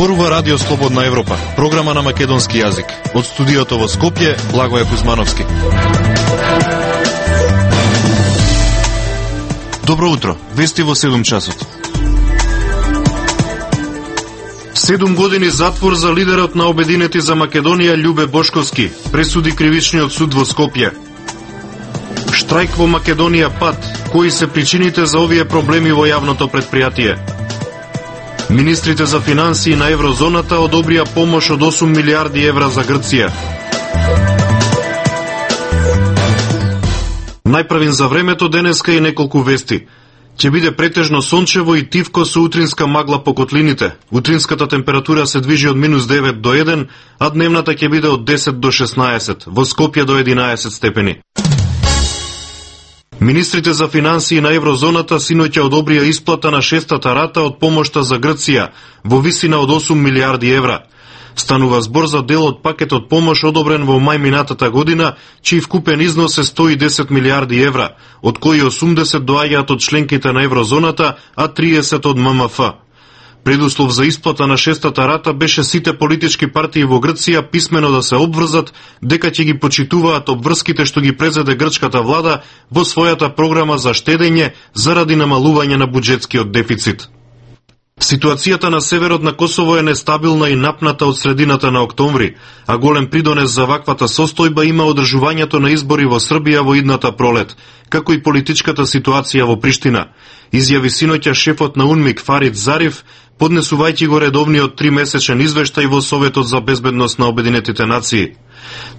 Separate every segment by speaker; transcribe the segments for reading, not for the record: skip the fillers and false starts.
Speaker 1: Зборува Радио Слободна Европа, програма на македонски јазик. Од студиото во Скопје, Благоје Кузмановски. Добро утро, вести во 7 часот. 7 години затвор за лидерот на Обединети за Македонија Љубе Бошковски, пресуди кривичниот суд во Скопје. Штрајк во Македонија пат, кои се причините за овие проблеми во јавното предпријатие? Министрите за финансии на еврозоната одобрија помош од 8 милиарди евра за Грција. Најпрвин за времето денеска и неколку вести. Ќе биде претежно сончево и тивко со утринска магла по котлините. Утринската температура се движи од -9 до 1, а дневната ќе биде од 10 до 16, во Скопје до 11 степени. Министрите за финансии на еврозоната синоќа одобрија исплата на 6-та рата од помошта за Грција во висина од 8 милиарди евра. Станува збор за дел од пакетот помош одобрен во мај минатата година, чиј вкупен износ е 110 милиарди евра, од кои 80 доаѓаат од членките на еврозоната, а 30 од ММФ. Предуслов за исплата на 6-та рата беше сите политички партии во Грција писмено да се обврзат дека ќе ги почитуваат обврските што ги презеде грчката влада во својата програма за штедење заради намалување на буџетскиот дефицит. Ситуацијата на северот на Косово е нестабилна и напната од средината на октомври, а голем придонес за ваквата состојба има одржувањето на избори во Србија во идната пролет, како и политичката ситуација во Приштина, изјави синоќа шефот на УНМИК Фарид Зариф, поднесувајќи го редовниот 3-месечен извештај во Советот за безбедност на Обединетите нации.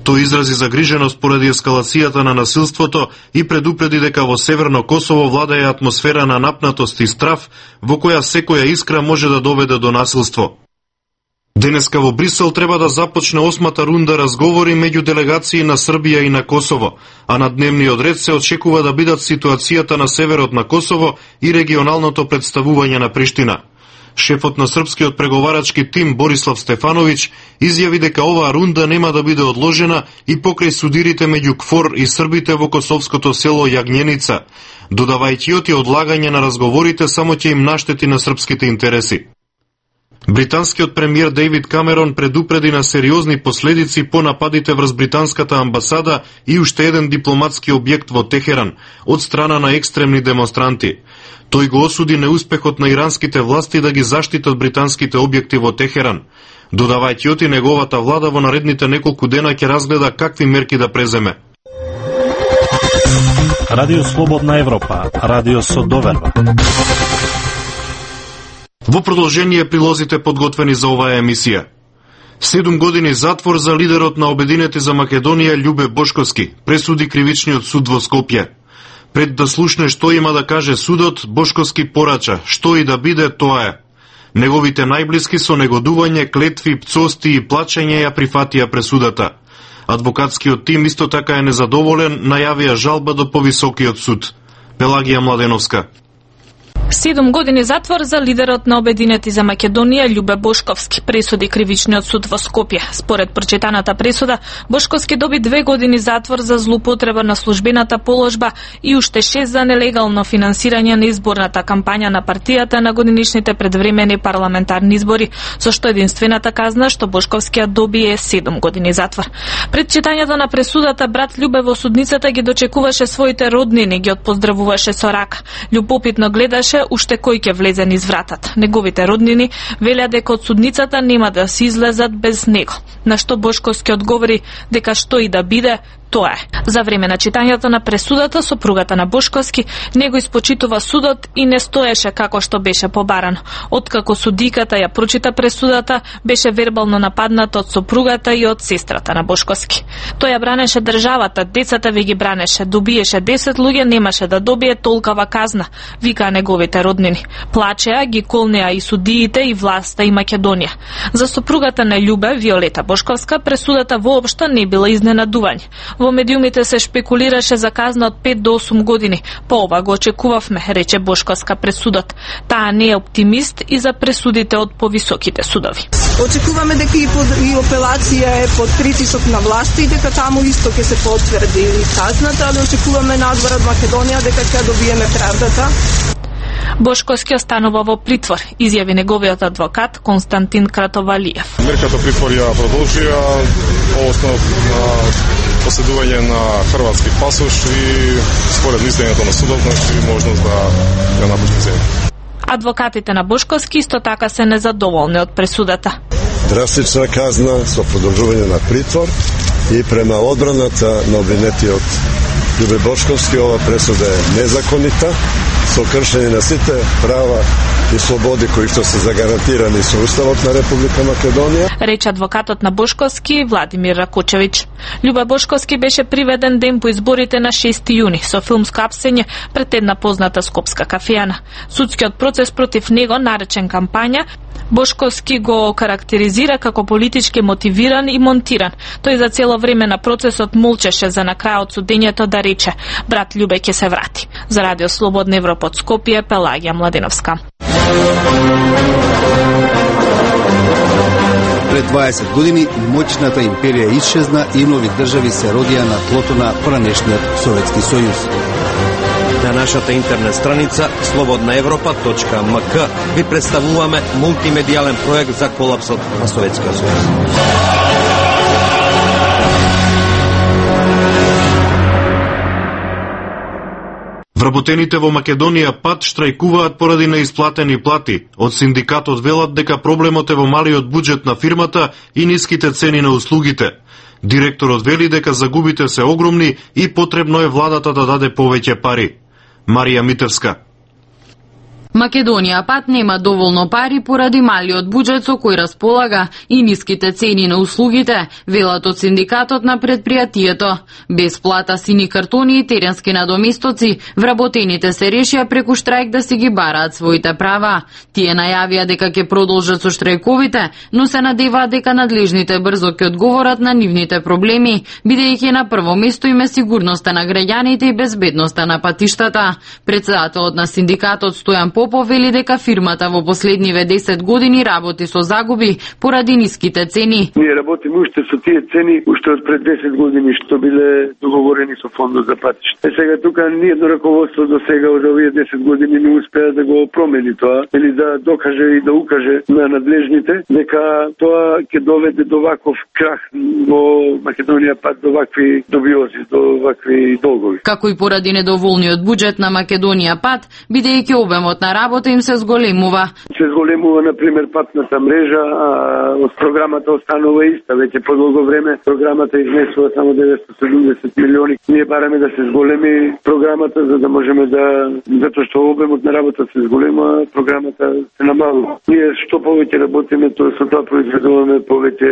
Speaker 1: Тој изрази загриженост поради ескалацијата на насилството и предупреди дека во Северно Косово владее атмосфера на напнатост и страв, во која секоја искра може да доведе до насилство. Денеска во Брисел треба да започне 8-та рунда разговори меѓу делегации на Србија и на Косово, а на дневниот ред се очекува да бидат ситуацијата на северот на Косово и регионалното представување на Приштина. Шефот на српскиот преговарачки тим Борислав Стефановиќ изјави дека оваа рунда нема да биде одложена и покрај судирите меѓу КФОР и србите во косовското село Јагњеница, додавајќи оти одлагање на разговорите само ќе им наштети на српските интереси. Британскиот премиер Дејвид Камерон предупреди на сериозни последици по нападите врз британската амбасада и уште еден дипломатски објект во Техеран од страна на екстремни демонстранти. Тој го осуди неуспехот на иранските власти да ги заштитат британските објекти во Техеран, додавајќи оти неговата влада во наредните неколку дена ќе разгледа какви мерки да преземе.
Speaker 2: Радио Слободна Европа, радио со доверба.
Speaker 1: Во продолжение прилозите подготвени за оваа емисија. 7 години затвор за лидерот на Обединети за Македонија Љубе Бошковски, пресуди кривичниот суд во Скопје. Пред да слушне што има да каже судот, Бошковски порача, што и да биде, тоа е. Неговите најблиски со негодување, клетви, пцости и плачење ја прифатија пресудата. Адвокатскиот тим исто така е незадоволен, најавија жалба до повисокиот суд. Пелагија Младеновска.
Speaker 3: 7 години затвор за лидерот на Обединети за Македонија Љубе Бошковски, пресуди кривичниот суд во Скопје. Според прочитаната пресуда, Бошковски доби 2 години затвор за злоупотреба на службената положба и уште 6 за нелегално финансирање на изборната кампања на партијата на годинишните предвремени парламентарни избори, со што единствената казна што Бошковски доби е 7 години затвор. Пред читањето на пресудата, брат Љубе во судницата ги дочекуваше своите роднини, ги отпоздравуваше со рака. Љубопитно гледаше уште кој ќе влезе низ вратата. Неговите роднини велеа дека од судницата нема да се излезат без него. На што Бошковски одговори дека што и да биде, тоа е. За време на читањето на пресудата, сопругата на Бошковски не го испочитува судот и не стоеше како што беше побарано. Откако судиката ја прочита пресудата, беше вербално нападната од сопругата и од сестрата на Бошковски. Тој ја бранеше државата, децата ви ги бранеше, добиеше 10 луѓе, немаше да добие толкова казна, вика неговите роднини. Плачеа, ги колнеа и судиите, и власта, и Македонија. За сопругата на Љубе, Виолета Бошковска, пресудата воопшто не била изненадување. Во медиумите се шпекулираше за казна од 5 до 8 години. По ова го очекувавме, рече Бошковска пред судот. Таа не е оптимист и за пресудите од повисоките судови.
Speaker 4: Очекуваме дека и апелација е под притисок на власти, дека таму исто ќе се потврди казната, але очекуваме надвор од Македонија дека ќе добиеме правдата.
Speaker 3: Бошковски останува во притвор, изјави неговиот адвокат Константин Кратовалиев.
Speaker 5: Мерката притвор ја продолжија по основ на поседување на хрватски пасош и според мислењето на судот, можност да ја напушти земја.
Speaker 3: Адвокатите на Бошковски исто така се незадоволни од пресудата.
Speaker 6: Драстична казна со продолжување на притвор и према одбраната на обвинетиот Љубе Бошковски, ова пресуда е незаконита, со кршење на сите права и слободи кои што се загарантирани со Уставот на Република Македонија.
Speaker 3: Рече адвокатот на Бошковски Владимир Ракучевиќ. Љубе Бошковски беше приведен ден по изборите на 6 јуни со филмско апсење пред една позната скопска кафејана. Судскиот процес против него, наречен кампања, Бошковски го карактеризира како политички мотивиран и монтиран. Тој за цело време на процесот молчеше за на крајот судењето да рече: брат Љубе ќе се врати. За Радио Слободна Европа од Скопје, Пелагија Младеновска.
Speaker 7: Пред 20 години моќната империја исчезна и нови држави се родија на тлото на поранешниот Советски сојуз.
Speaker 8: На нашата интернет страница slobodnaevropa.mk ви представуваме мултимедијален проект за колапсот на Советскиот сојуз.
Speaker 1: Вработените во Македонија пат штрајкуваат поради неисплатени плати. Од синдикатот велат дека проблемот е во малиот буџет на фирмата и ниските цени на услугите. Директорот вели дека загубите се огромни и потребно е владата да даде повеќе пари. Марија Митевска.
Speaker 9: Македонија пат нема доволно пари поради малиот буџет со кој располага и ниските цени на услугите, велат од синдикатот на предпријатието. Без плата, сини картони и теренски надоместоци, вработените се решија преку штрајк да си ги бараат своите права. Тие најавија дека ќе продолжат со штрајковите, но се надеваат дека надлежните брзо ќе одговорат на нивните проблеми, бидејќи на прво место им е сигурноста на граѓаните и безбедноста на патиштата. Претседателот на синдикатот Стојан Попов вели дека фирмата во последниве 10 години работи со загуби поради ниските цени.
Speaker 10: Ние работиме уште со тие цени уште од пред 10 години што биле договорени со фондот за патишта. Сега тука ниедно раководство до сега од овие 10 години не успеа да го промени тоа или да докаже и да укаже на надлежните дека тоа ќе доведе до ваков крах во Македонија пат, до вакви добиози, до вакви долгови.
Speaker 9: Како и поради недоволниот буџет на Македонија пат, бидејќи обемот на работа им се зголемува.
Speaker 10: Се зголемува, например, патната мрежа, а од програмата останува иста. Веќе по долго време програмата изнесува само 970 милиони. Ние бараме да се зголеми програмата, за да можеме да, затоа што обемот на работа се зголема, програмата се намалува. Ние што повеќе работиме, тоа со тоа произведуваме повеќе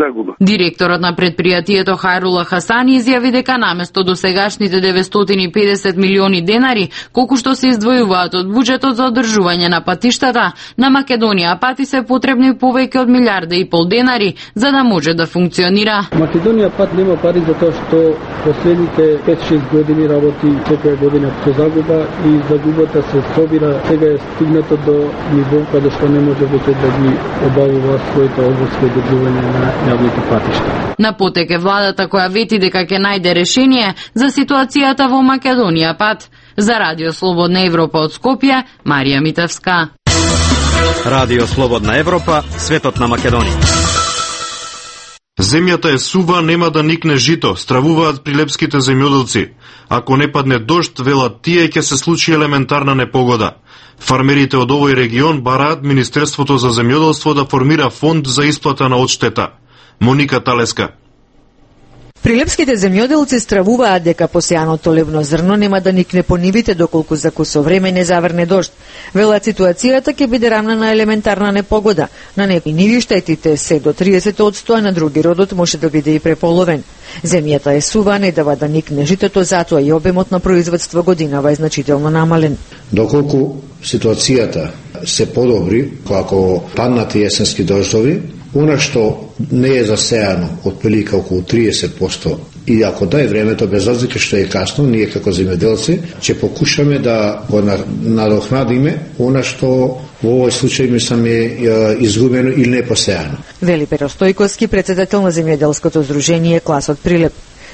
Speaker 10: загуба.
Speaker 9: Директорот на предпријатието Хајрула Хасани изјави дека наместо досегашните 950 милиони денари, колку што се издвојуваат од буџетот за одржување на патиштата, на Македонија пати се потребни повеќе од 1,5 милиарди денари за да може да функционира.
Speaker 11: Македонија пат нема пари за тоа што последните 5-6 години работи секоја година со загуба и загубата се собира, сега е стигнато до ниво каде што не може веќе да ги обавува своите обврски одржување на јавните патишта.
Speaker 9: На потек е владата која вети дека ќе најде решение за ситуацијата во Македонија пат. За Радио Слободна Европа од Скопје, Марија Митевска.
Speaker 8: Радио Слободна Европа, светот на Македонија.
Speaker 1: Земјата е сува, нема да никне жито, стравуваат прилепските земјоделци. Ако не падне дожд, велат тие, ќе се случи елементарна непогода. Фармерите од овој регион бараат Министерството за земјоделство да формира фонд за исплата на одштета. Моника Талеска.
Speaker 12: Прилепските земјоделци стравуваат дека посејаното левно зрно нема да никне по нивите доколку за кусо време не заврне дожд. Велат ситуацијата ќе биде рамна на елементарна непогода. На некои ниви штетите се до 30%, а на други родот може да биде и преполовен. Земјата е сува, не дава да никне житото, затоа и обемот на производство годинава е значително намален.
Speaker 13: Доколку ситуацијата се подобри, ако паднат јесенски дождови, она што не е засејано од прилика околу 30%, и ако дај времето, без разлика што е касно, ние како земјоделци ќе покушаме да го надокнадиме она што во овој случај мислам е изгубено или не посејано.
Speaker 12: Вели Перо Стојковски, претседател на земјоделското здружение Класот Прилеп.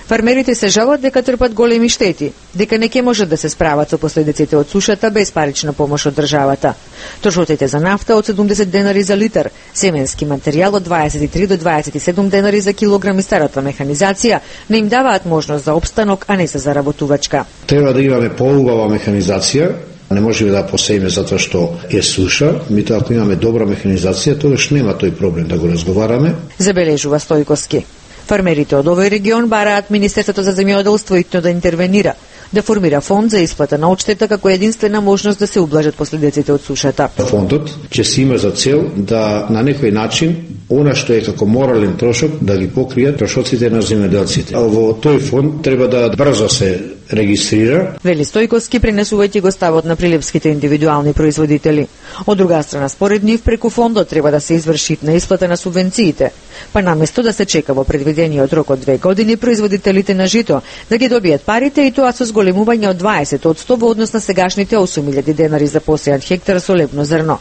Speaker 12: Фармерите се жалат дека трпат големи штети, дека не ќе можат да се справат со последиците од сушата без парична помош од државата. Трошоците за нафта од 70 денари за литар, семенски материјал од 23 до 27 денари за килограм и старата механизација не им даваат можност за опстанок, а не за заработувачка.
Speaker 13: Треба да имаме поубава механизација. Не можеме да посееме затоа што е суша, меѓутоа ако имаме добра механизација, тогаш нема тој проблем да го разговараме.
Speaker 12: Забележува Стојковски. Фармерите од овој регион бараат Министерството за земјоделство итно да интервенира, да формира фонд за исплата на одштета како единствена можност да се ублажат последиците од сушата.
Speaker 13: Фондот ќе си има за цел да на некој начин она што е како морален трошок да ги покријат трошоците на земјоделците. Во тој фонд треба да брзо се регистрира.
Speaker 12: Вели Стојковски, пренесувајќи го ставот на прилепските индивидуални производители. Од друга страна, според нив, преку фондот треба да се изврши на исплата на субвенциите, па наместо да се чека во предвидениот рок од 2 години производителите на жито да ги добијат парите, и тоа со зголемување од 20% во однос на сегашните 8.000 денари за посејан хектар со лепно зрно.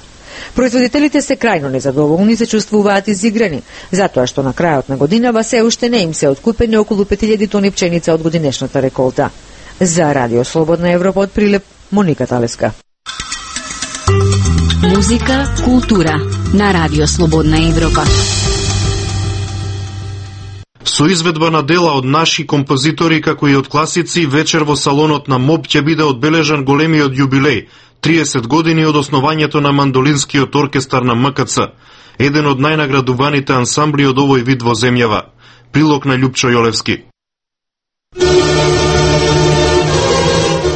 Speaker 12: Производителите се крајно незадоволни, се чувствуваат изиграни, затоа што на крајот на годинава се уште не им се откупени околу 5.000 тони пченица од годинешната реколта. За Радио Слободна Европа од Прилеп, Моника Талеска.
Speaker 14: Музика, култура на Радио Слободна Европа.
Speaker 1: Со изведба на дела од наши композитори како и од класици, вечер во салонот на МОБ ќе биде одбележан големиот јубилеј, 30 години од основањето на мандолинскиот оркестар на МКЦ, еден од најнаградуваните ансамбли од овој вид во земјава. Прилог на Љупчо Јолевски.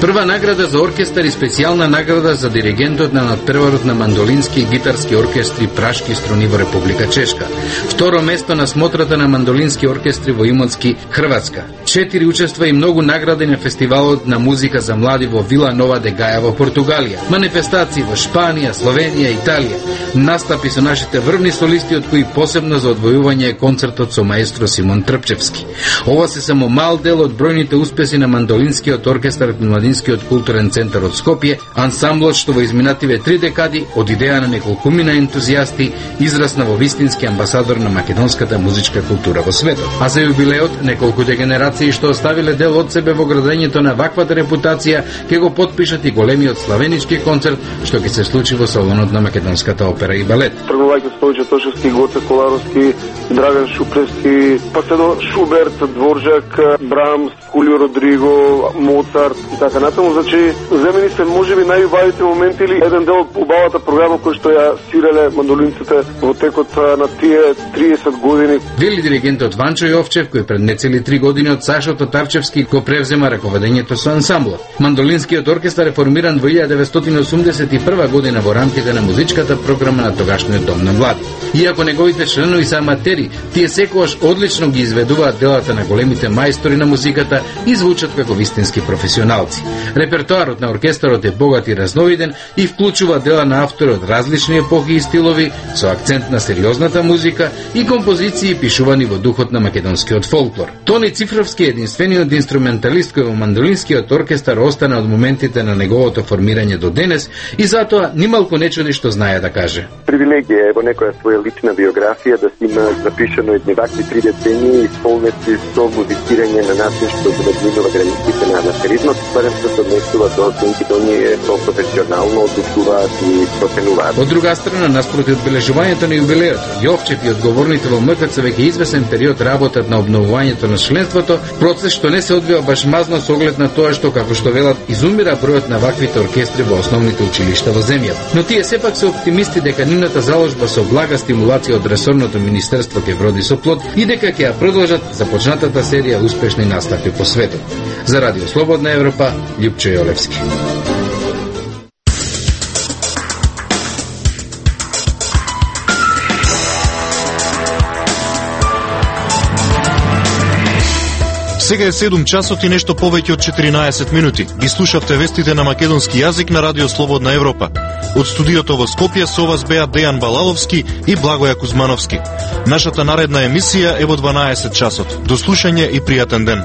Speaker 15: Прва награда за оркестар и специјална награда за диригентот на надпреварот на мандолински и гитарски оркестри Пражки струни во Република Чешка. Второ место на смотрата на мандолински оркестри во Имоцки, Хрватска. 4 учества и многу награди на фестивалот на музика за млади во Вила Нова де Гаја во Португалија. Манифестации во Шпанија, Словенија, Италија. Настапи со нашите врвни солисти, од кои посебно за одвојување е концертот со маестро Симон Трпчевски. Ова се само мал дел од бројните успеси на мандолинскиот оркестар на Младинскиот културен центар од Скопје, ансамблот што во изминативе 3 декади од идеја на неколкумина ентузијасти израсна во вистински амбасадор на македонската музичка култура во светот. А за јубилеот неколку дегенерации што оставиле дел од себе во градењето на ваквата репутација ќе го потпишат и големиот славенички концерт што ќе се случи во салонот на Македонската опера и балет.
Speaker 16: Тргувајќи Стојче Тошевски, Гоце Коларовски, Драган Шупревски, па се до Шуберт, Дворжак, Брамс, Хулио Родриго, Моцарт и така натаму. Значи, земени се можеби најубавите моменти или еден дел од убавата програма кој што ја свиреле мандолинците во текот на тие 30 години.
Speaker 15: Вели диригентот Ванчо Јовчев, кој пред нецели 3 години од Сашо Татарчевски го превзема раководењето со ансамблот. Мандолинскиот оркестар е формиран во 1981 година во рамките на музичката програма на тогашниот Дом на млади. Иако неговите членови се аматери, тие секогаш одлично ги изведуваат делата на големите мајстори на музиката и звучат како вистински професионалци. Репертоарот на оркестарот е богат и разновиден и вклучува дела на автори од различни епохи и стилови, со акцент на сериозната музика и композиции пишувани во духот на македонскиот фолклор. Тони Цифровски е единствениот инструменталист кој во мандолинскиот оркестар остана од моментите на неговото формирање до денес и затоа нималку не чуди што знае да каже.
Speaker 16: Привилегија е во некоја своја лична биографија да си има запишано едни вакви 3 децении исполнети со музицирање на начин што го надминува границите на аматеризмот, барем што се однесува до синките оние со професионално одлучуваат и проценуваат.
Speaker 15: Од друга страна, наспроти одбележувањето на јубилеот, Јовчев и одговорните во МКЦ веќе извесен период работат на обновувањето на членството, процес што не се одвива баш мазно со оглед на тоа што, како што велат, изумира бројот на ваквите оркестри во основните училишта во земјата. Но тие сепак се оптимисти дека нивната заложба со блага стимулација од ресорното министерство ќе вроди со плод и дека ќе ја продолжат започнатата серија успешни настапи по светот. За Радио Слободна Европа, Љупчо Јолевски.
Speaker 1: Сега е 7 часот и нешто повеќе од 14 минути. Ги слушавте вестите на македонски јазик на Радио Слободна Европа. Од студиото во Скопје со вас беа Дејан Балаловски и Благоја Кузмановски. Нашата наредна емисија е во 12 часот. До слушање и пријатен ден.